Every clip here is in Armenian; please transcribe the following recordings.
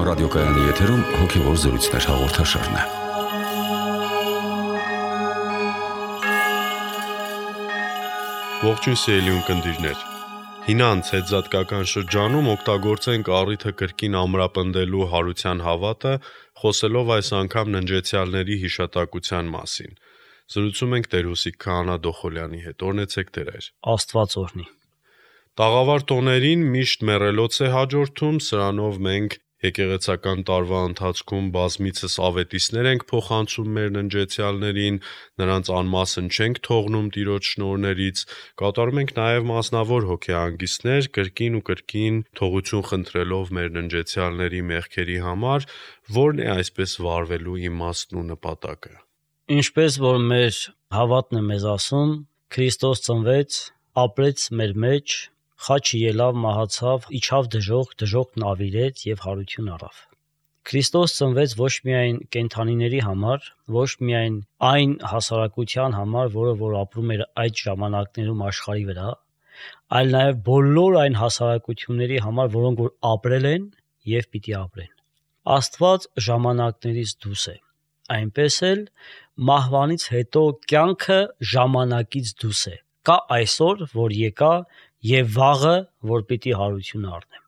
ռադիոկայանի եթերում հոգևոր զրույցներ հաղորդաշարն է։ Ողջույն սիրելի ունկնդիրներ։ Հինանց հետզատկական շրջանում օգտագործենք առիթը կրկին ամրապնդելու հարության հավատը, խոսելով այս անգամ ննջեցյալների հիշատակության մասին։ Զրուցում ենք Տեր Հուսիկ Քահանա Դոխոլյանի հետ։ Օրհնեցեք Տեր։ Աստված օրհնի։ Տաղավար տոներին միշտ մեռելոց է հաջորդում, սրանով մենք եկեղեցական տարվա ընթացքում բազմիցս ավետիսներ ենք փոխանցում մեր ննջեցյալներին, նրանց անմասն չենք թողնում Տիրոջ շնորհներից, կատարում ենք նաև մասնավոր հոգեհանգիստներ, կրկին ու կրկին թողություն խնդրելով մեր ննջեցյալների մեղքերի համար, որն է այսպես վարվելու իմաստն ու նպատակը։ Ինչպես որ մեր հավատն է մեզ ասում, Քրիստոս ծնվեց, ապրեց մեր մեջ, խաչը ելավ, մահացավ, իջավ դժոխքն ավիրեց եւ հարություն առավ։ Քրիստոս ծնվեց ոչ միայն կենդանիների համար, ոչ միայն այն հասարակության համար, որը որ ապրում էր այդ ժամանակներում աշխարհի վրա, այլ նաեւ բոլոր այն հասարակությունների համար, որոնք որ ապրել են եւ պիտի ապրեն։ Աստված ժամանակներից դուրս է, այնպես էլ մահվանից հետո կյանքը ժամանակից դուրս է։ Կա այսօր, որ եկա եւ վաղը, որ պիտի հարություն առնեմ։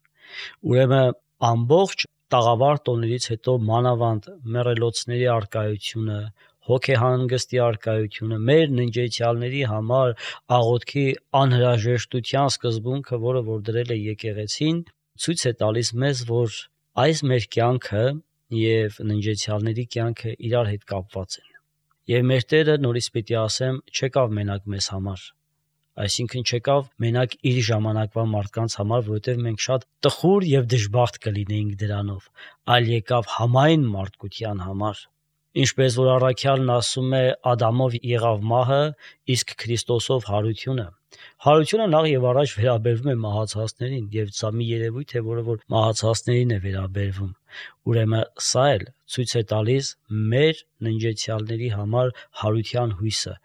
Ուրեմն ամբողջ տաղավար տոներից հետո մանավանդ մեռելոցների արկայությունը, հոգեհանգստի արկայությունը, մեր ննջեցյալների համար աղոթքի անհրաժեշտության սկզբունքը, որը որ դրել է եկեղեցին, ցույց է տալիս մեզ, որ այս մեր կյանքը եւ ննջեցյալների կյանքը իրար հետ կապված են։ Եվ մեր Տերը նորից պիտի ասեմ, չեկավ մենակ մեզ համար, այսինքն չեկավ մենակ իր ժամանակվա մարդկանց համար, որովհետև մենք շատ տխուր եւ դժբախտ կլինեինք դրանով, այլ եկավ համայն մարդկության համար։ Ինչպես որ առաքյալն ասում է, Ադամով եղավ մահը, իսկ Քրիստոսով հարությունը։ Հարությունը նախ եւ առաջ վերաբերվում է մահացածներին եւ սա մի երևույթ է, որը որ մահացածներին է վերաբերվում։ Ուրեմն սա էլ ցույց է տալիս մեր ննջեցյալների համար հարության հույսը։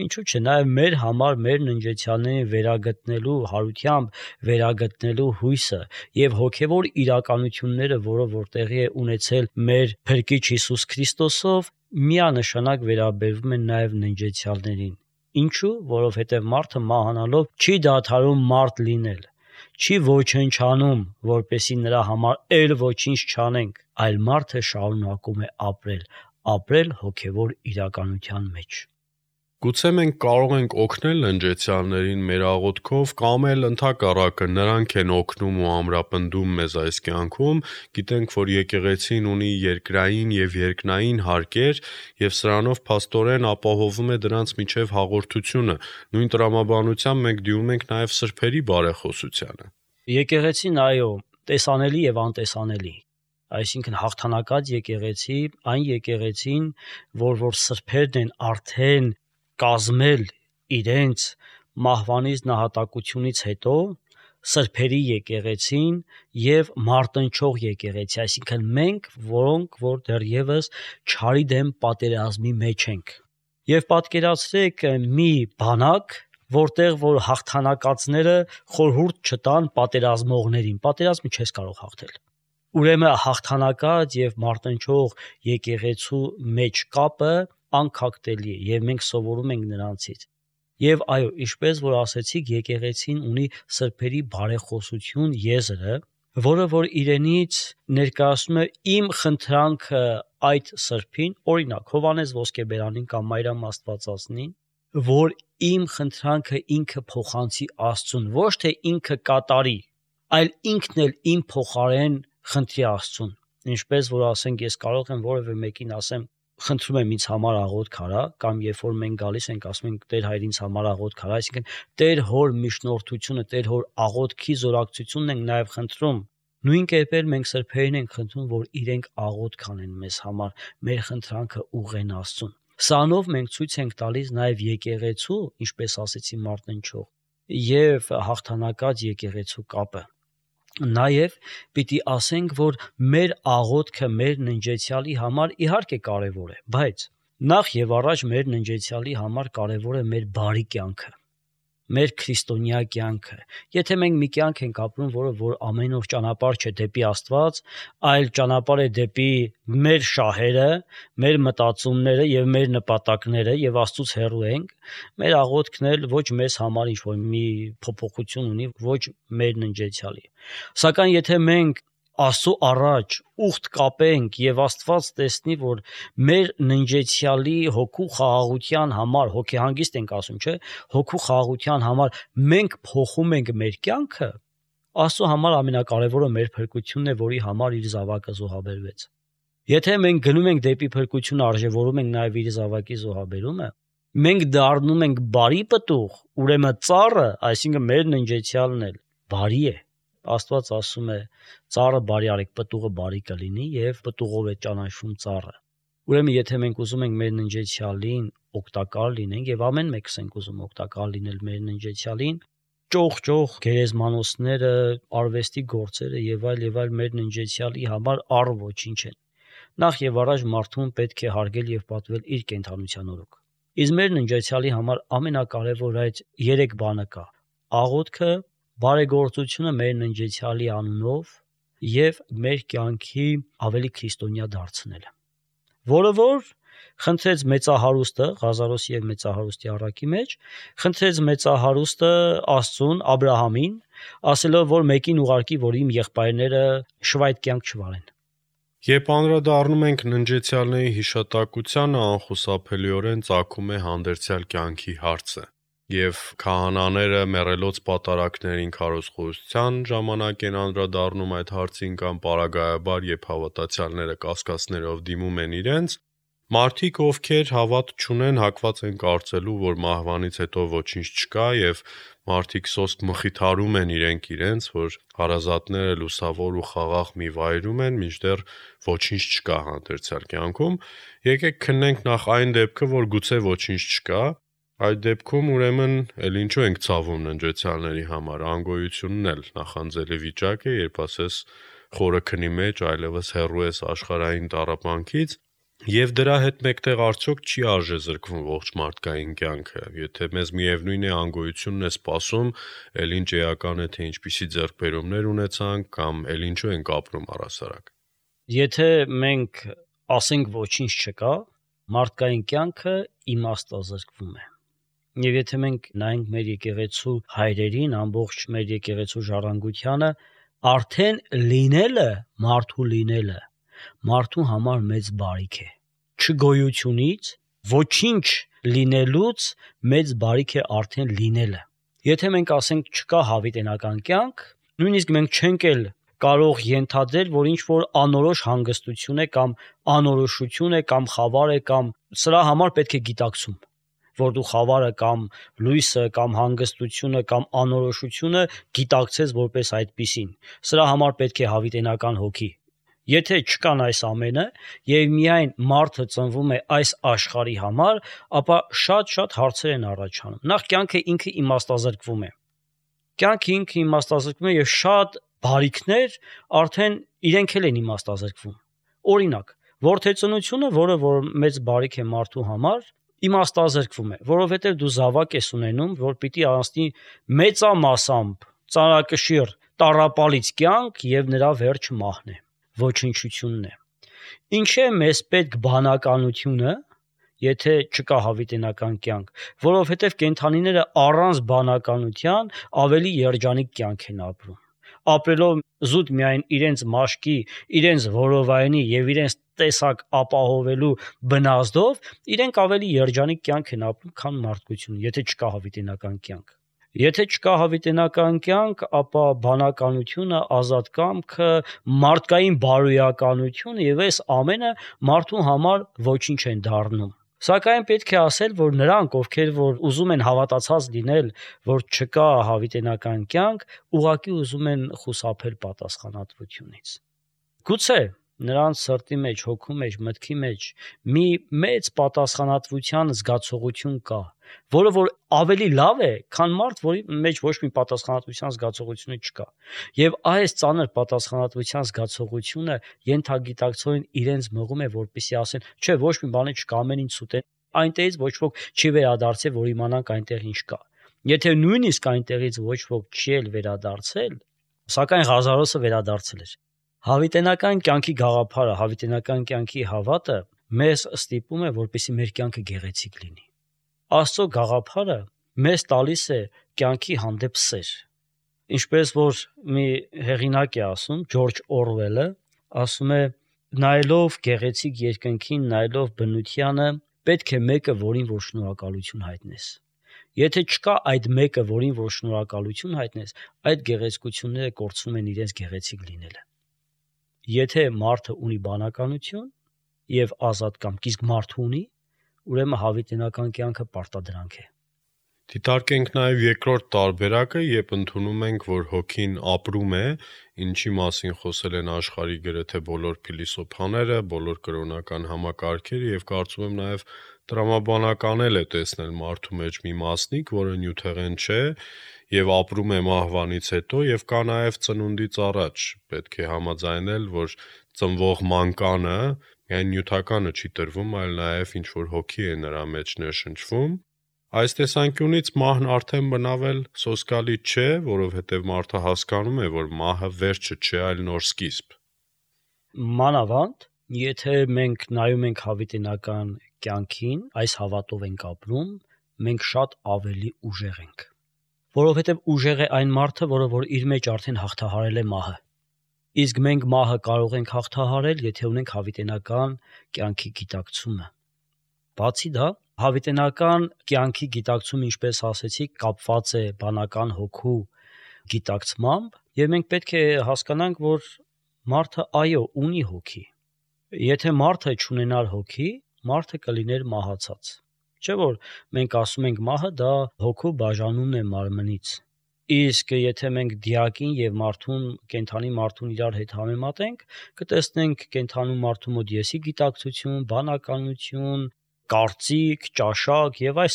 Ինչու՞ չէ, նաև մեր համար մեր ննջեցյալներին վերագտնելու հարությամբ վերագտնելու հույսը եւ հոգեվոր իրականությունները, որը որ տեղի է ունեցել մեր Փրկիչ Հիսուս Քրիստոսով, միանշանակ վերաբերվում են նաև ննջեցյալներին։ Ինչու՞, որովհետև մարդը մահանալով չի դադարում մարդ լինել, չի ոչնչանում, որպեսի նրա համար էլ ոչինչ չանենք, այլ մարդը շարունակում է ապրել հոգևոր իրականության մեջ։ Գուցե մենք կարող ենք օգնել ննջեցյալներին մեր աղոթքով կամ էլ ընդհակառակը նրանք են օգնում ու ամրապնդում մեզ այս կյանքում, գիտենք, որ եկեղեցին ունի երկրային եւ երկնային հարկեր եւ սրանով փաստորեն ապահովում է դրանց միջև հաղորդությունը։ Նույն տրամաբանությամբ մենք դիմում ենք նաեւ սրբերի բարեխոսությանը։ Եկեղեցին, այո, տեսանելի եւ անտեսանելի, այսինքն հաղթանակած եկեղեցի, այն եկեղեցին, որ սրբերն են արդեն կազմել իրենց մահվանից նահատակությունից հետո, սրբերի եկեղեցին եւ մարտնչող եկեղեցի, այսինքն մենք, որոնք որ դեռևս չարի դեմ պատերազմի մեջ ենք։ Եվ պատկերացրեք մի բանակ, որտեղ որ հաղթանակածները խորհուրդ չտան պատերազմողներին, պատերազմը չես կարող հաղթել։ Ուրեմն հաղթանակած եւ մարտնչող եկեղեցու մեջ կապը անքակտելի է եւ մենք սովորում ենք նրանցից։ Եվ այո, ինչպես որ ասեցիք, եկեղեցին ունի սրբերի բարեխոսություն եզրը, որը որ իրենից ներկայացնում է իմ խնդրանքը այդ սրբին, օրինակ Հովհաննես Ոսկեբերանին կամ Մարիամ Աստվածածնին, որ իմ խնդրանքը ինքը փոխանցի Աստծուն, ոչ թե ինքը կատարի, այլ ինքն էլ իմ փոխարեն խնդրի Աստծուն։ Ինչպես որ ասենք, ես կարող եմ որևէ մեկին ասեմ, խնդրում եմ ինձ համար աղոթք արա, կամ երբ որ մենք գալիս ենք ասում ենք Տեր հայր ինձ համար աղոթք արա, այսինքն Տեր հոր միջնորդությունը, Տեր հոր աղոթքի զորակցությունն ենք նաև խնդրում։ Նույն կերպ մենք սրբերին ենք խնդրում, որ իրենք աղոթք անեն մեզ համար, մեր խնդրանքը ուղղեն Աստծուն։ Սրանով մենք ցույց ենք տալիս նաև եկեղեցու, ինչպես ասեցի մարտնչող, եւ հաղթանակած եկեղեցու կապը։ Նաև պիտի ասենք, որ մեր աղոթքը մեր ննջեցյալի համար իհարկե կարևոր է, բայց նախ եւ առաջ մեր ննջեցյալի համար կարևոր է մեր բարի կյանքը, մեր քրիստոնյա կյանքը։ Եթե մենք մի կյանք ենք ապրում, որ ամեն օր ճանապարհ չէ դեպի Աստված, այլ ճանապարհ է դեպի մեր շահերը, մեր մտածումները եւ մեր նպատակները եւ Աստծուց հեռու ենք, մեր աղոթքն էլ ոչ մեզ համար ինչ-որ մի փոփոխություն ունի, ոչ մեր ննջեցյալի։ Սակայն եթե մենք Աստծո առաջ ուխտ կապենք եւ Աստված տեսնի, որ մեր ննջեցյալի հոգու խաղաղության համար, հոգեհանգիստ ենք ասում, չէ, հոգու խաղաղության համար մենք փոխում ենք մեր կյանքը, Աստծո համար ամենակարևորը մեր փրկությունն է, որի համար իր զավակը զոհաբերվեց։ Եթե մենք գնում ենք դեպի փրկությունը, արժևորում ենք նաեւ իր զավակի զոհաբերումը, մենք դառնում ենք բարի պտուղ, ուրեմն ծառը, այսինքն մեր ննջեցյալն էլ բարի է։ Աստված ասում է. ծառը բարի արեք, պտուղը բարի կլինի եւ պտուղով է ճանաչվում ծառը։ Ուրեմն եթե մենք ուզում ենք մեր ննջեցյալին օգտակար լինենք եւ ամեն մեկս ենք ուզում օգտակար լինել մեր ննջեցյալին, ճոխ գերեզմանոցները, արվեստի գործերը եւ այլ մեր ննջեցյալի համար առ ոչինչ են։ Նախ եւ առաջ մարդուն պետք է հարգել եւ պատվել իր կենդանության օրոք։ Իսկ մեր ննջեցյալի համար ամենակարևոր այդ 3 բանը կա. աղոթքը, բարեգործությունը մեր ննջեցյալի անունով եւ մեր կյանքի ավելի քրիստոնյա դարձնելը։ Որը խնդրեց մեծահարուստը Ղազարոսի եւ մեծահարուստի առակի մեջ, խնդրեց մեծահարուստը Աստծուն, Աբրահամին, ասելով, որ մեկին ուղարկի, որ իմ եղբայրները շվայտ կյանք չվարեն։ Երբ անդրադառնում ենք ննջեցյալների հիշատակությանը, անխուսափելիորեն ծագում է հանդերձյալ կյանքի հարցը, եւ քահանաները մեռելոց պատարակներին քարոզխորհրդության ժամանակ են անդրադառնում այդ հարցին կամ պարագայաբար, երբ հավատացյալները կասկածներով դիմում են իրենց, մարդիկ, ովքեր հավատ չունեն, հակված են կարծելու, որ մահվանից հետո ոչինչ չկա եւ մարդիկ սոսկ մխիթարում են իրենց, որ հարազատները լուսավոր ու խաղաղ մի վայրում են, մինչդեռ ոչինչ չկա հանդերձյալ կյանքում։ Եկեք քննենք նախ այն դեպքը, որ գուցե ոչինչ չկա։ Այդ դեպքում ուրեմն էլ ինչու ենք ցավում ննջեցյալների համար, անգոյությունն էլ նախանձելի վիճակ է, երբ ասես խորը քնի մեջ այլևս հեռու ես աշխարհային տառապանքից, եւ դրա հետ մեկտեղ արդյոք չի արժե զրկվում ողջ մարդկային կյանքը։ Եթե մեզ միևնույն է անգոյությունն է սպասում, էլ ինչ էական է, թե ինչպիսի ձեռքբերումներ ունեցանք կամ էլ ինչու ենք ապրում առասարակ։ Եթե մենք ասենք ոչինչ չկա, մարդկային կյանքը իմաստազրկվում է։ Եվ եթե մենք նայենք մեր եկեղեցու հայրերին, ամբողջ մեր եկեղեցու ժառանգությանը, արդեն լինելը, մարդու լինելը, մարդու համար մեծ բարիք է։ Չգոյությունից, ոչինչ լինելուց մեծ բարիք է արդեն լինելը։ Եթե մենք ասենք չկա հավիտենական կյանք, նույնիսկ մենք չենք էլ կարող ենթադրել, որ ինչ-որ անորոշ հանգստություն է կամ անորոշություն է կամ խավար է կամ սրա համար պետք է գիտակցում, որ դու խավարը կամ լույսը կամ հանգստությունը կամ անորոշությունը գիտակցես որպես այդպիսին։ Սրա համար պետք է հավիտենական հոգի։ Եթե չկան այս ամենը եւ միայն մարդը ծնվում է այս աշխարհի համար, ապա շատ հարցեր են առաջանում։ Նախ կյանքը ինքը իմաստազրկվում է։ Կյանքը ինքը իմաստազրկվում է եւ շատ բարիքներ արդեն իրենք էլ են իմաստազրկվում։ Օրինակ, որդեծնությունը, որը որ մեծ բարիք է մարդու համար, իմաստազրկվում է, որովհետեւ դու զավակ ես ունենում, որ պիտի անցնի մեծամասամբ ծանրակշիռ տառապալից կյանք եւ նրա վերջը մահն է, ոչնչությունն է։ Ինչ է մեզ պետք բանականությունը, եթե չկա հավիտենական կյանք, որովհետեւ կենդանիները առանց բանականության ավելի երջանիկ կյանք են ապրում։ Ապրելով զուտ միայն իրենց մաշկի, իրենց որովայնի եւ իրենց տեսակ ապահովելու բնազդով, իրենք ավելի երջանիկ կյանք են ապրում, քան մարդկությունը, եթե չկա հավիտենական կյանք։ Եթե չկա հավիտենական կյանք, ապա բանականությունը, ազատ կամքը, մարդկային բարոյականությունը եւ այս ամենը մարդու համար ոչինչ են դառնում։ Սակայն պետք է ասել, որ նրանք, ովքեր որ ուզում են հավատացած լինել, որ չկա հավիտենական կյանք, ուղղակի ուզում են խուսափել պատասխանատվությունից։ Գուցե նրանց սրտի մեջ, հոգու մեջ, մտքի մեջ մի մեծ պատասխանատվության զգացողություն կա, որը որ ավելի լավ է, քան մարդ, որի մեջ ոչ մի պատասխանատվության զգացողություն չկա։ Եվ այս ծանր պատասխանատվության զգացողությունը ենթագիտակցորեն իրենց մղում է, որպեսզի ասեն, չէ, ոչ մի բան չկա, ամեն ինչ սուտ է, այնտեղից ոչ ոք չի վերադարձել, որ իմանանք այնտեղ ինչ կա։ Եթե նույնիսկ այնտեղից ոչ ոք չի էլ վերադարձել, սակայն Ղազարոսը վերադարձել էր։ Հավիտենական կյանքի գաղափարը, հավիտենական կյանքի հավատը մեզ ստիպում է, որպեսզի մեր կյանքը գեղեցիկ լինի։ Աստծո գաղափարը մեզ տալիս է կյանքի հանդեպ սեր։ Ինչպես որ մի հեղինակ է ասում, Ջորջ Օրվելը, ասում է. նայելով գեղեցիկ երկնքին, նայելով բնությանը, պետք է մեկը, որին որ շնորհակալություն հայտնես։ Եթե չկա այդ մեկը, որին որ շնորհակալություն հայտնես, այդ գեղեցկությունները կորցնում են իրենց գեղեցիկ լինելը։ Եթե մարդը ունի բանականություն եւ ազատ կամք, իսկ մարդը ունի, ուրեմն հավիտենական կյանքը պարտադրանք է։ Դիտարկենք նաև երկրորդ տարբերակը, երբ ընդունում ենք, որ հոգին ապրում է, ինչի մասին խոսել են աշխարհի գրեթե բոլոր փիլիսոփաները, բոլոր կրոնական համակարգերը եւ կարծում եմ նաև տրամաբանական էլ է տեսնել մարդու մեջ մի մասնիկ, որը նյութեղեն չէ եւ ապրում է մահվանից հետո եւ կա նաև ծնունդից առաջ։ Պետք է համաձայնել, որ ծնվող մանկանը միայն նյութականը չի տրվում, այլ նաև ինչ որ հոգի է նրա մեջ ներշնչվում։ Այս տեսանկյունից մահն արդեն բնավել սոսկալի չէ, որովհետև մարդը հասկանում է, որ մահը վերջը չէ, այլ նոր սկիզբ։ Մանավանդ, եթե մենք նայում ենք հավիտենական կյանքին, այս հավատով ենք ապրում, մենք շատ ավելի ուժեղ ենք։ Որովհետև ուժեղ է այն մարդը, որը որ իր մեջ արդեն հաղթահարել է մահը։ Իսկ մենք մահը կարող ենք հաղթահարել, եթե ունենք հավիտենական կյանքի գիտակցումը։ Բացի դա, հավիտենական կյանքի գիտակցումը, ինչպես ասեցի, կապված է բանական հոգու գիտակցմամբ, եւ մենք պետք է հասկանանք, որ մարդը այո ունի հոգի։ Եթե մարդը չունենար հոգի, մարդը կլիներ մահացած։ Չէ՞ որ մենք ասում ենք մահը դա հոգու բաժանումն է մարմնից։ Իսկ եթե մենք դիակին եւ մարդուն, կենդանի մարդուն իրար հետ համեմատենք, կտեսնենք կենդանու մարդու մոտ եսի գիտակցություն, բանականություն, կարծիք, ճաշակ եւ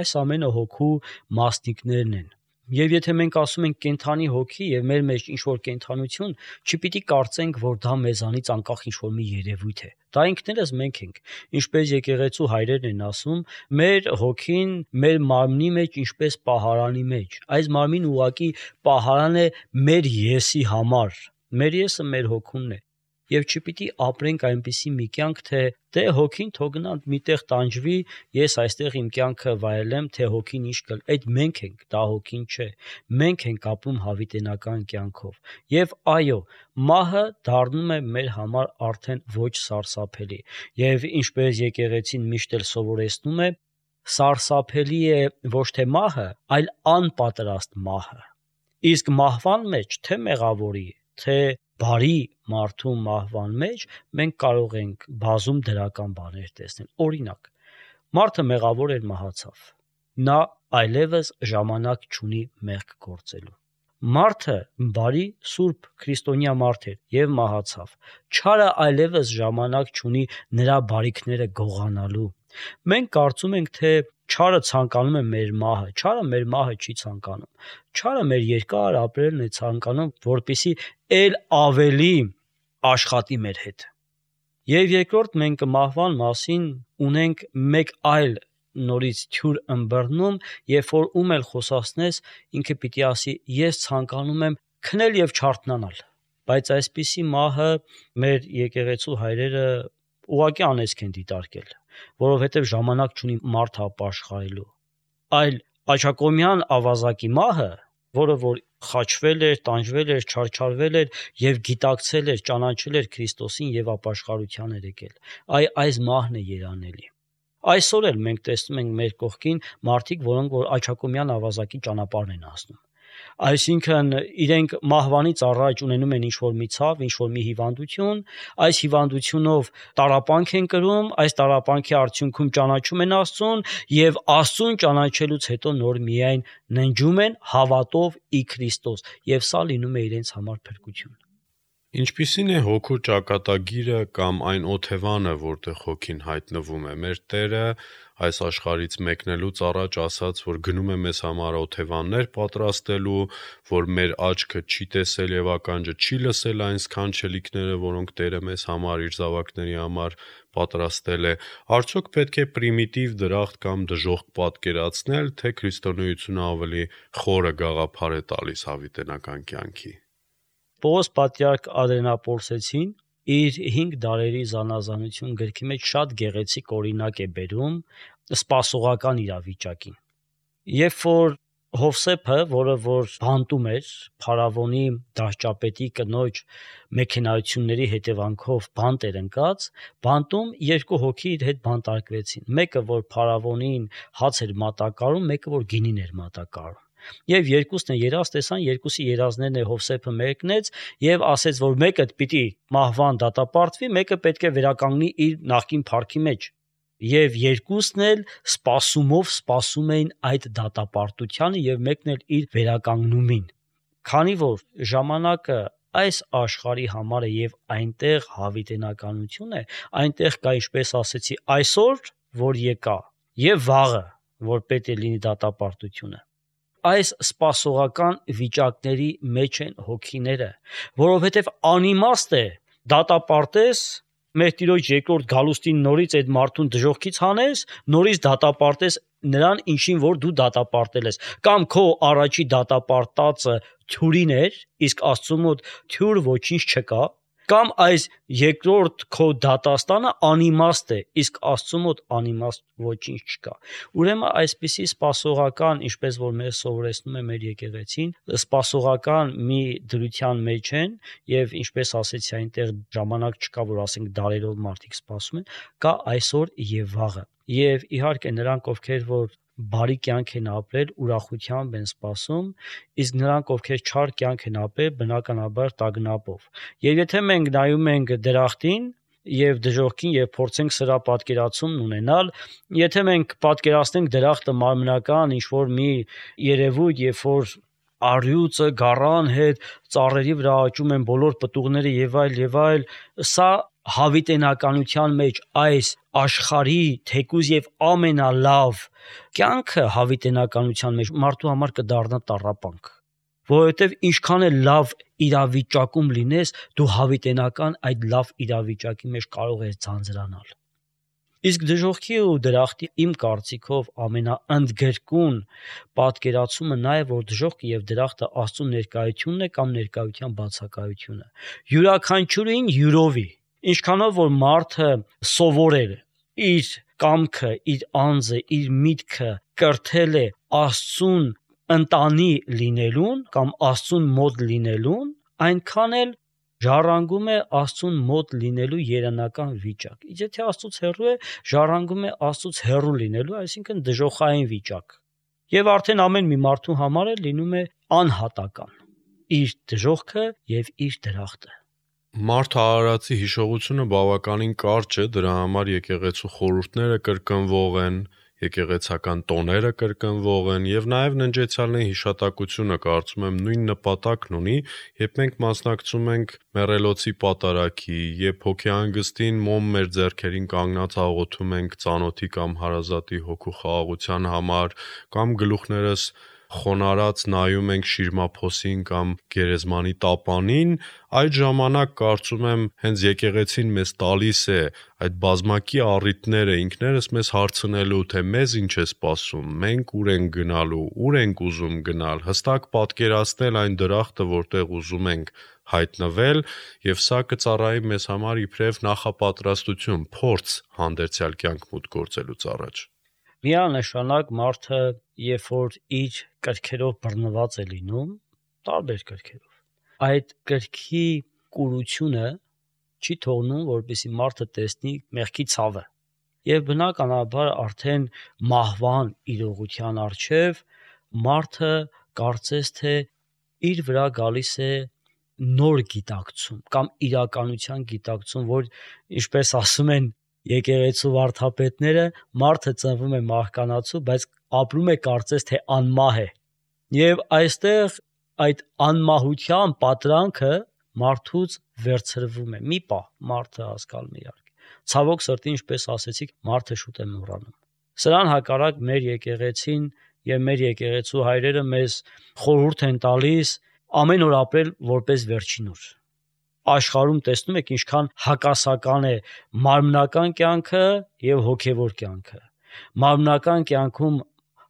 այս ամենը հոգու մասնիկներն են։ Եվ եթե մենք ասում ենք կենդանի հոգի եւ մեր մեջ ինչ որ կենդանություն, չպիտի կարծենք, որ դա մեզանից անկախ ինչ որ մի երևույթ է։ Դա ինքներս մենք ենք։ Ինչպես եկեղեցու հայրերն են ասում, մեր հոգին մեր մարմնի մեջ ինչպես պահարանի մեջ։ Այս մարմին ուղակի պահարան է մեր եսի համար։ Մեր եսը մեր հոգունն է։ Եվ չպիտի ապրենք այնպիսի մի կյանք, թե դե հոգին թող գնա միտեղ տանջվի, ես այստեղ իմ կյանքը վայելեմ, թե հոգին ինչ կլ։ Այդ մենք ենք, դա հոգին չէ։ Մենք ենք ապրում հավիտենական կյանքով։ Եվ այո, մահը դառնում է մեր համար արդեն ոչ սարսափելի։ Եվ ինչպես եկեղեցին միշտ էլ սովորեցնում է, սարսափելի է ոչ թե մահը, այլ անպատրաստ մահը։ Իսկ մահվան մեջ թե մեղավորի, թե բարի մարդու մահվան մեջ մենք կարող ենք բազում դրական բաներ տեսնել։ Օրինակ, մարդը մեղավոր էր, մահացավ։ Նա այլևս ժամանակ չունի մեղք գործելու։ Մարդը բարի, սուրբ քրիստոնյա մարդ էր եւ մահացավ։ Չարը այլևս ժամանակ չունի նրա բարիքները գողանալու։ Մենք կարծում ենք, թե չարը ցանկանում է մեր մահը։ Չարը մեր մահը չի ցանկանում։ Չարը մեր երկար ապրելն է ցանկանում, որպեսզի ել ավելի աշխատի մեր հետ։ Եվ երկրորդ, մենք մահվան մասին ունենք մեկ այլ նորից թյուր ըմբռնում, երբ որ ում էլ խոսացնես, ինքը պիտի ասի, ես ցանկանում եմ քնել եւ չարթնանալ։ Բայց այսպիսի մահը մեր եկեղեցու հայրերը ուղղակի անեծք են դիտարկել, որովհետեւ ժամանակ չունի մարդ ապաշխարելու։ Այլ աչակոմյան ավազակի մահը, որը որ խաչվել էր, տանջվել էր, չարչարվել էր եւ գիտակցել էր, ճանաչել էր Քրիստոսին եւ ապաշխարության էր եկել։ Այս մահն է երանելի։ Այսօր էլ մենք տեսնում ենք մեր կողքին մարդիկ, որոնք որ աչակոմյան ավազակի ճանապարհն են անցնում։ Այսինքն իրենք մահվանից առաջ ունենում են ինչ-որ մի ցավ, ինչ-որ մի հիվանդություն, այս հիվանդությունով տառապանք են կրում, այս տառապանքի արդյունքում ճանաչում են Աստծուն եւ Աստծուն ճանաչելուց հետո նոր միայն ննջում են հավատով ի Քրիստոս եւ սա լինում է իրենց համար փրկություն։ Ինչպիսին է հոգու ճակատագիրը կամ այն օթևանը, որտեղ հոգին հայտնվում է։ Մեր Տերը այս աշխարհից մեկնելուց առաջ ասաց, որ գնում է մեզ համար օթևաններ պատրաստելու, որ մեր աչքը չի տեսել եւ ականջը չի լսել այն սքանչելիքները, որոնք Տերը մեզ համար իր զավակների համար պատրաստել է։ Արդյոք պետք է պրիմիտիվ դրախտ կամ դժոխք պատկերացնել, թե քրիստոնեությունը ավելի խորը գաղափար է տալիս հավիտենական կյանքի։ Պողոս պատրիարք Ադրենապոլսեցին իր 5 դարերի զանազանություն գրքի մեջ շատ գեղեցիկ օրինակ է բերում սպասողական իրավիճակին։ Երբ որ Հովսեփը, որը որ բանտում էր փարավոնի դաշճապետի կնոջ մեքենայությունների հետևանքով բանտ էր ընկած, բանտում 2 հոգի իր հետ բանտարկվեցին։ Մեկը որ փարավոնին հաց էր մատակարարում, մեկը որ գինին էր մատակարարում։ Եվ երկուսն են երազ տեսան, երկուսի երազներն է Հովսեփը մեկնեց եւ ասեց, որ մեկը պիտի մահվան դատապարտվի, մեկը պետք է վերականգնի իր նախկին փառքի մեջ։ Եվ երկուսն էլ սպասումով սպասում էին այդ դատապարտությանը եւ մեկն էլ իր վերականգնումին։ Քանի որ ժամանակը այս աշխարհի համար է եւ այնտեղ հավիտենականություն է, այնտեղ կա, ինչպես ասեցի, այսօր, որ եկա, եւ վաղը, որ պետք է լինի դատապարտությունը։ Այս սպասողական վիճակների մեջ են հոգիները, որովհետև անիմաստ է դատապարտես մեր Տիրոջ երկրորդ գալուստին նորից այդ մարդուն դժոխքից հանես, նորից դատապարտես նրան, ինչին որ դու դատապարտել ես, կամ քո առաջի դատապարտածը թյուրին էր, իսկ Աստծու մոտ թյուր ոչինչ չկա, կամ այս երկրորդ քո դատաստանը անիմաստ է, իսկ Աստծու մոտ անիմաստ ոչինչ չկա։ Ուրեմն այսպիսի սպասողական, ինչպես որ մեզ սովորեցնում է մեր եկեղեցին, սպասողական մի դրության մեջ են, եւ ինչպես ասեցի, այնտեղ ժամանակ չկա, որ ասենք դարերով մարդիկ սպասում են, կա այսօր եւ վաղը։ Եվ իհարկե նրանք, ովքեր որ բարի կյանք են ապրել, ուրախությամբ են սպասում, իսկ նրանք, ովքեր չար կյանք են ապրել, բնականաբար տագնապով։ Եվ եթե մենք նայում ենք դրախտին եւ դժոխքին եւ փորձենք սրա պատկերացումն ունենալ, եթե մենք պատկերացնենք դրախտը մարմնական ինչ-որ մի երևույթ, երբ որ առյուծը գառան հետ ծառերի վրա աճում են բոլոր պտուղները եւ այլ, սա հավիտենականության մեջ այս աշխարհի թեկուզ եւ ամենալավ կյանքը հավիտենականության մեջ մարդու համար կդառնա տառապանք, որովհետեւ ինչքան է լավ իրավիճակում լինես, դու հավիտենական այդ լավ իրավիճակի մեջ կարող ես ձանձրանալ։ Իսկ դժոխքի ու դրախտի իմ կարծիքով ամենաընդգրկուն պատկերացումը նա է, որ դժոխքը եւ դրախտը Աստծո ներկայությունն է կամ ներկայության բացակայությունը։ Յուրաքանչյուրին յուրովի, ինչքանով որ մարդը սովորել է իր կամքը, իր անձը, իր միտքը կրթել է Աստծուն ընտանի լինելուն կամ Աստծուն մոտ լինելուն, այնքան էլ ժառանգում է Աստծուն մոտ լինելու երանական վիճակ։ Իսկ եթե Աստծուց հեռու է, ժառանգում է Աստծուց հեռու լինելու, այսինքն դժոխային վիճակ։ Եվ արդեն ամեն մի մարդու համար է լինում է անհատական իր դժոխքը եւ իր դրախտը։ Մարդ արարածի հիշողությունը բավականին կարճ է, դրա համար եկեղեցու խորհուրդները կրկնվող են, եկեղեցական տոները կրկնվող են եւ նաեւ ննջեցյալների հիշատակությունը կարծում եմ նույն նպատակն ունի, երբ մենք մասնակցում ենք մեռելոցի պատարագի, երբ հոգեհանգստին մոմ մեր ձեռքերին կանգնած աղոթում ենք ծանոթի կամ հարազատի հոգու խաղաղության համար, կամ գլուխներս խոնարհած նայում ենք շիրմափոսին կամ գերեզմանի տապանին, այդ ժամանակ կարծում եմ հենց եկեղեցին մեզ տալիս է այդ բազմակի առիթները ինքներս մեզ հարցնելու, թե մեզ ինչ է սպասում, մենք ուր ենք գնալու, ուր ենք ուզում գնալ, հստակ պատկերացնել այն դրախտը, որտեղ ուզում ենք հայտնվել, եւ սա կծառայի մեզ համար իբրև նախապատրաստություն, փորձ հանդերձյալ կյանք մուտք գործելուց առաջ։ Միանշանակ մարդը, երբ որ իր կրքերով բռնված է լինում, տարբեր կրքերով, այդ կրքի կուրությունը չի թողնում, որպեսզի մարդը տեսնի մեղքի ցավը։ Եվ բնականաբար արդեն մահվան իրողության առջև մարդը կարծես թե իր վրա գալիս է նոր գիտակցում կամ իրականության գիտակցում, որ ինչպես ասում են եկեղեցու վարդապետները, մարդը ծնվում է մահկանացու, բայց ապրում է կարծես թե անմահ է։ Եվ այստեղ այդ անմահության պատրանքը մարդուց վերցրվում է։ Մի պահ մարդը հասկանում է իհարկե։ Ցավոք սրտի, ինչպես ասեցիք, մարդը շուտ է մոռանում։ Սրան հակառակ մեր եկեղեցին եւ մեր եկեղեցու հայրերը մեզ խորհուրդ են տալիս ամեն օր ապրել որպես վերջին օր։ Աշխարհում տեսնում եք ինչքան հակասական է մարմնական կյանքը եւ հոգեվոր կյանքը։ Մարմնական կյանքում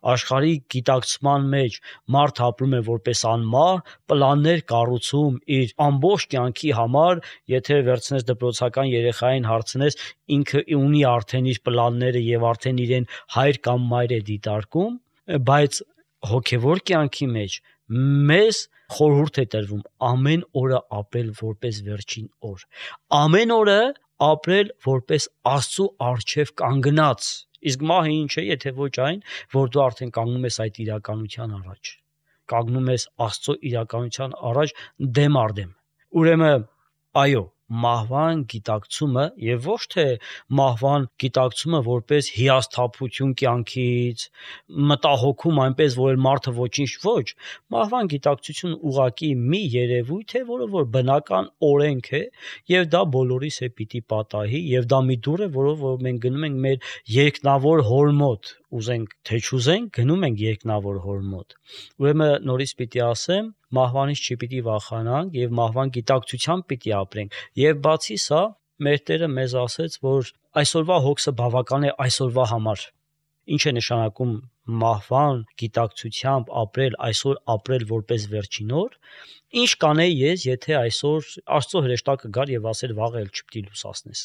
աշխարհի գիտակցման մեջ մարդ ապրում է որպես անմահ, պլաններ կառուցում իր ամբողջ կյանքի համար, եթե վերցնես դպրոցական երեխային հարցնես, ինքը ունի արդեն իր պլանները եւ արդեն իրեն հայր կամ մայր է դիտարկում, բայց հոգեվոր կյանքի մեջ մեզ խորհուրդ է տրվում ամեն օրը ապրել որպես վերջին օր։ Ամեն օրը ապրել որպես Աստծո առջև կանգնած։ Իսկ մահը ինչ է, եթե ոչ այն, որ դու արդեն կանգնում ես այդ իրականության առաջ։ Կանգնում ես Աստծո իրականության առաջ դեմ առ դեմ։ Ուրեմն, այո, մահվան գիտակցումը եւ ոչ թե մահվան գիտակցումը որպես հիասթափություն կյանքից, մտահոգում այնպես, որ մարդը ոչինչ ոչ, մահվան գիտակցություն ուղղակի մի երևույթ է, որը որ բնական օրենք է եւ դա բոլորիս է պիտի պատահի եւ դա մի դուր է, որով որ մենք գնում ենք մեր երկնավոր հոր մոտ, ուզենք թե չուզենք, գնում ենք երկնավոր հոր մոտ։ Ուրեմն նորից պիտի ասեմ, մահվանից չպիտի վախենանք եւ մահվան գիտակցությամբ պիտի ապրենք։ Եվ բացի սա, մեր Տերը մեզ ասեց, որ այսօրվա հոգսը բավական է այսօրվա համար։ Ինչ է նշանակում մահվան գիտակցությամբ ապրել, այսօր ապրել որպես վերջին օր։ Ինչ կանեի ես, եթե այսօր Աստծո հրեշտակը գար եւ ասեր վաղը էլ չպիտի լուսացնես։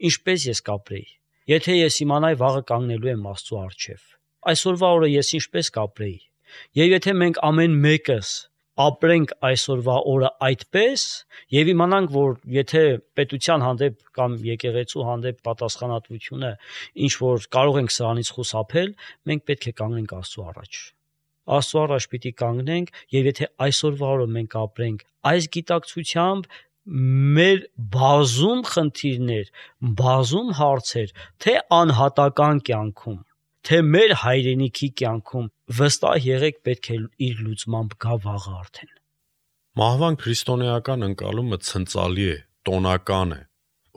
Ինչպես ես կապրեի։ Եթե ես իմանայի վաղը կանգնելու եմ Աստծո առջև, այսօրվա օրը ես ինչպես կապրեի։ Եվ եթե մենք ամեն մեկս ապրենք այսօրվա օրը այդպես եւ իմանանք, որ եթե պետության հանդեպ կամ եկեղեցու հանդեպ պատասխանատվությունը ինչ որ կարող ենք սրանից խուսափել, մենք պետք է կանգնենք Աստծո առաջ։ Աստծո առաջ պիտի կանգնենք եւ եթե այսօրվա օրը մենք ապրենք այս գիտակցությամբ, մեր բազում խնդիրներ, բազում հարցեր, թե անհատական կյանքում, թե մեր հայրենիքի կյանքում վստահ եղեք պետք է իր լուծմամբ գա վաղը արդեն։ Մահվան քրիստոնեական ընկալումը ցնծալի է, տոնական է։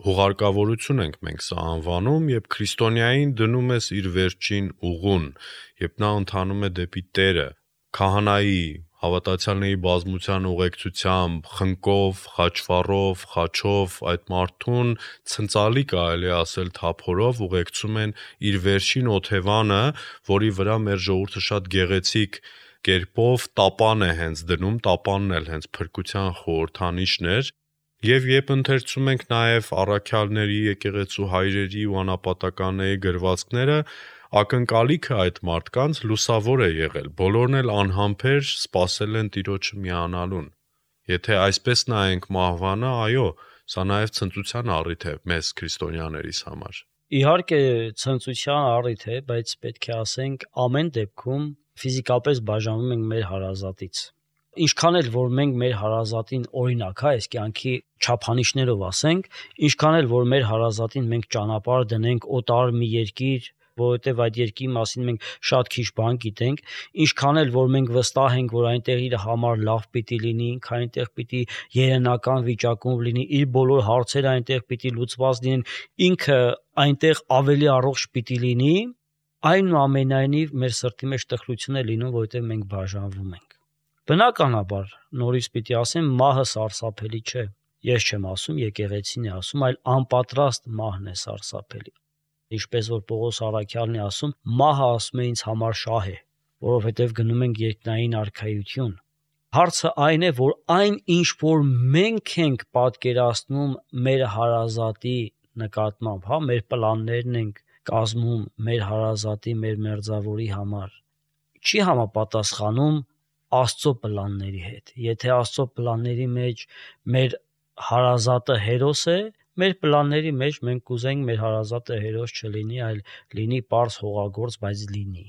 Հուղարկավորություն ենք մենք սա անվանում, երբ քրիստոնյային դնում ես իր վերջին ուղուն, երբ նա ընթանում է դեպի Տերը, քահանայի, հավատացյալների բազմության ուղեկցությամբ, խնկով, խաչվառով, խաչով այդ մարդուն ցնծալի կարելի ասել թափորով ուղեկցում են իր վերջին օթևանը, որի վրա մեր ժողովուրդը շատ գեղեցիկ կերպով տապան է հենց դնում, տապանն էլ հենց փրկության խորհրդանիշն էր, եւ երբ ընթերցում ենք նաեւ առաքյալների, եկեղեցու հայրերի ու անապատականների գրվածքները, ակնկալիքը այդ մարդկանց լուսավոր է եղել, բոլորն էլ անհամբեր սպասել են Տիրոջը միանալուն։ Եթե այսպես նայենք մահվանը, այո, սա նաեւ ցնծության առիթ է մեզ քրիստոնյաներիս համար։ Իհարկե ցնծության առիթ է, բայց պետք է ասենք ամեն դեպքում ֆիզիկապես բաժանվում ենք մեր հարազատից։ Ինչքան էլ որ մենք մեր հարազատին օրինակ, այս կյանքի չափանիշներով ասենք, ինչքան էլ որ մեր հարազատին մենք ճանապարհ դնենք օտար մի երկիր, որովհետև այդ երկրի մասին մենք շատ քիչ բան գիտենք, ինչքան էլ որ մենք վստահ ենք, որ այնտեղ իր համար լավ պիտի լինի, ինքը այնտեղ պիտի երենական վիճակում լինի, իր բոլոր հարցերը այնտեղ պիտի լուծված լինեն, ինքը այնտեղ ավելի առողջ պիտի լինի, այնուամենայնիվ մեր սրտի մեջ տխրություն է լինում, որովհետև մենք բաժանվում ենք։ Բնականաբար, նորից պիտի ասեմ, մահը սարսափելի չէ։ Ես չեմ ասում, եկեղեցին է ասում, այլ անպատրաստ մահն է սարսափելի։ Ինչպես որ Պողոս առաքյալն է ասում, մահը ասում է ինձ համար շահ է, որովհետև գնում ենք երկնային արքայություն։ Հարցը այն է, որ այն ինչ որ մենք ենք պատկերացնում մեր հարազատի նկատմամբ, մեր պլաններն ենք կազմում մեր հարազատի, մեր մերձավորի համար, չի համապատասխանում Աստծո պլանների հետ։ Եթե Աստծո պլանների մեջ մեր հարազատը հերոս է, մեր պլանների մեջ մենք կուզենք մեր հարազատը հերոս չլինի, այլ լինի պարզ հողագործ, բայց լինի։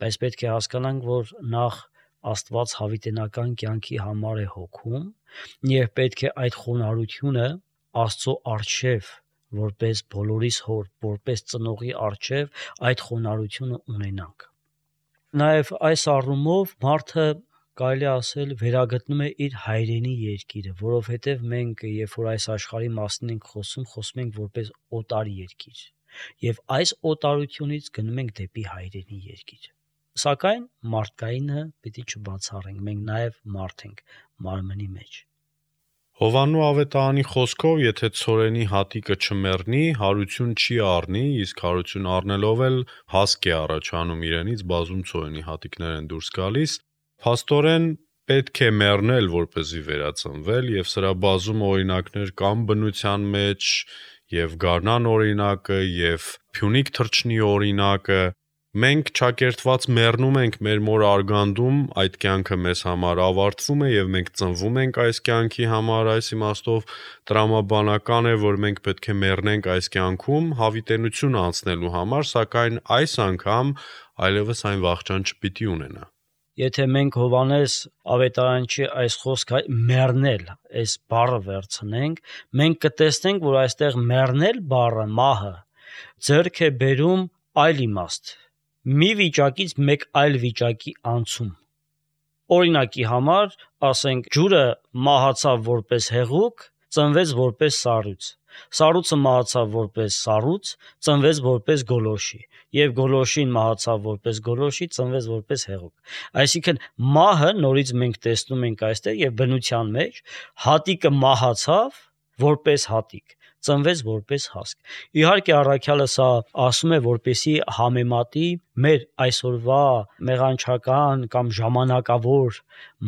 Բայց պետք է հասկանանք, որ նախ Աստված հավիտենական կյանքի համար է հոգում, եւ պետք է այդ խոնարհությունը Աստծո առջև, որպես բոլորիս հոր, որպես ծնողի առջև այդ խոնարհությունը ունենանք։ Նաեւ այս առումով մարդը կարելի ասել վերագտնում է իր հայրենի երկիրը, որովհետև մենք, երբ որ այս աշխարհի մասին ենք խոսում ենք որպես օտար երկիր, եւ այս օտարությունից գնում ենք դեպի հայրենի երկիր։ Սակայն մարդկայինը պիտի չբացառենք, մենք նաեւ մարդ ենք մարմնի մեջ։ Հովանու ավետարանի խոսքով, եթե ցորենի հատիկը չմեռնի, հարություն չի առնի, իսկ հարություն առնելով էլ հասկ է առաջանում իրենից, բազում ցորենի հատիկներ են դուրս գալիս։ Փաստորեն պետք է մեռնել, որպեսզի վերածնվել, եւ սրա բազում օրինակներ կան բնության մեջ, եւ գարնան օրինակը, եւ Փյունիկ թռչնի օրինակը։ Մենք չակերտված մեռնում ենք մեր մոր արգանդում, այդ կյանքը մեզ համար ավարտվում է եւ մենք ծնվում ենք այս կյանքի համար, այս իմաստով տրամաբանական է, որ մենք պետք է մեռնենք այս կյանքում հավիտենություն անցնելու համար, սակայն այս անգամ այլևս այն վախճան չպիտի ունենա։ Եթե մենք Հովանես ավետարանչի այս խոսքը մեռնել, այս բառը վերցնենք, մենք կտեսնենք, որ այստեղ մեռնել բառը, մահը, ձեռք է բերում այլ իմաստ, մի վիճակից մեկ այլ վիճակի անցում։ Օրինակի համար, ասենք, ջուրը մահացավ որպես հեղուկ, ծնվեց որպես սառույց։ Սառույցը մահացավ որպես սառույց, ծնվեց որպես գոլորշի, եւ գոլորշին մահացավ որպես գոլորշի, ծնվեց որպես հեղուկ։ Այսինքն մահը նորից մենք տեսնում ենք այստեղ եւ բնության մեջ հատիկը մահացավ որպես հատիկ, ծնվեց որպես հասկ։ Իհարկե առաքյալը սա ասում է, որպեսի համեմատի մեր այսօրվա մեղանչական կամ ժամանակավոր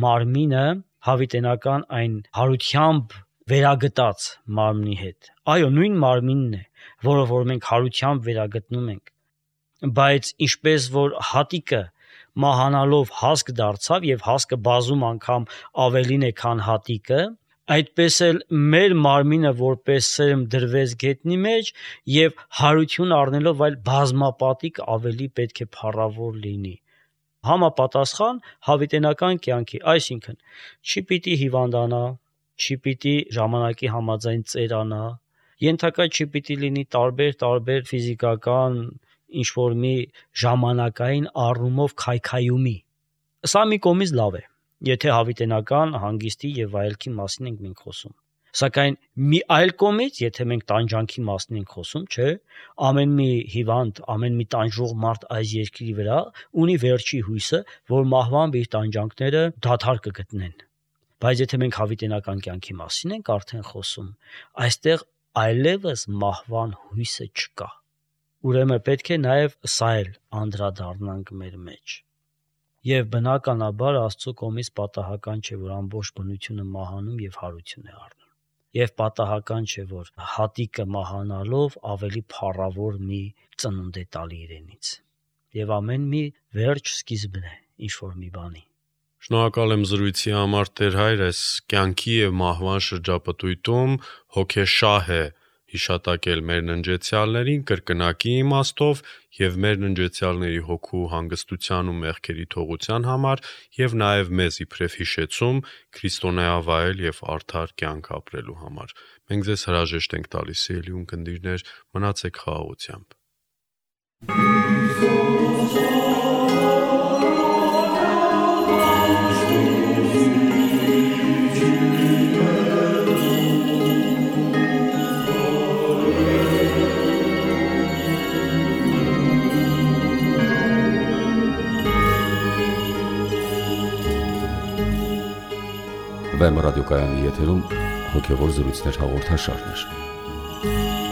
մարմինը հավիտենական այն հարությամբ վերագտած մարմնի հետ։ Այո, նույն մարմինն է, որը որ մենք հարությամբ վերագտնում ենք։ Բայց ինչպես որ հատիկը մահանալով հասկ դարձավ եւ հասկը բազում անգամ ավելին է, քան հատիկը, այդպես էլ մեր մարմինը որպես սերմ դրվեց գետնի մեջ եւ հարություն առնելով այլ բազմապատիկ ավելի պետք է փառավոր լինի։ Համապատասխան հավիտենական կյանքի, այսինքն չի պիտի հիվանդանա, չի պիտի ժամանակի համաձայն ծերանա, ենթակա չի պիտի լինի տարբեր ֆիզիկական ինչ-որ մի ժամանակային առումով քայքայումի։ Սա մի կողմից լավ է, եթե հավիտենական հանգիստի եւ վայելքի մասին ենք մենք խոսում։ Սակայն մի այլ կողմից, եթե մենք տանջանքի մասին ենք խոսում, չէ, ամեն մի հիվանդ, ամեն մի տանջող մարդ այս երկրի վրա ունի վերջի հույսը, որ մահվան իր տանջանքները դադար կգտնեն։ Բայց եթե մենք հավիտենական կյանքի մասին ենք արդեն խոսում, այստեղ այլևս մահվան հույսը չկա։ Ուրեմն պետք է նաև սա էլ անդրադառնանք մեր մեջ։ Եվ բնականաբար Աստծո կողմից պատահական չէ, որ ամբողջ բնությունը մահանում եւ հարություն է առնում։ Եվ պատահական չէ, որ հատիկը մահանալով ավելի փառավոր մի ծնունդ է տալի իրենից։ Եվ ամեն մի վերջ սկիզբն է ինչ-որ մի բանի։ Շնորհակալ եմ զրույցի համար Տեր Հայր, այս կյանքի եւ մահվան շրջապտույտում հոգեշահ է հիշատակել մեր ննջեցյալներին կրկնակի իմաստով եւ մեր ննջեցյալների հոգու հանգստության ու մեղքերի թողության համար եւ նաեւ մեզ իբրև հիշեցում քրիստոնեավայել եւ արդար կյանք ապրելու համար։ Մենք ձեզ հրաժեշտ ենք տալիս, սիրելի ունկնդիրներ, մնացեք խաղաղությամբ։ Վեմ ռադիոկայանի եթերում հոգևոր զրույցներ հաղորդաշարներ։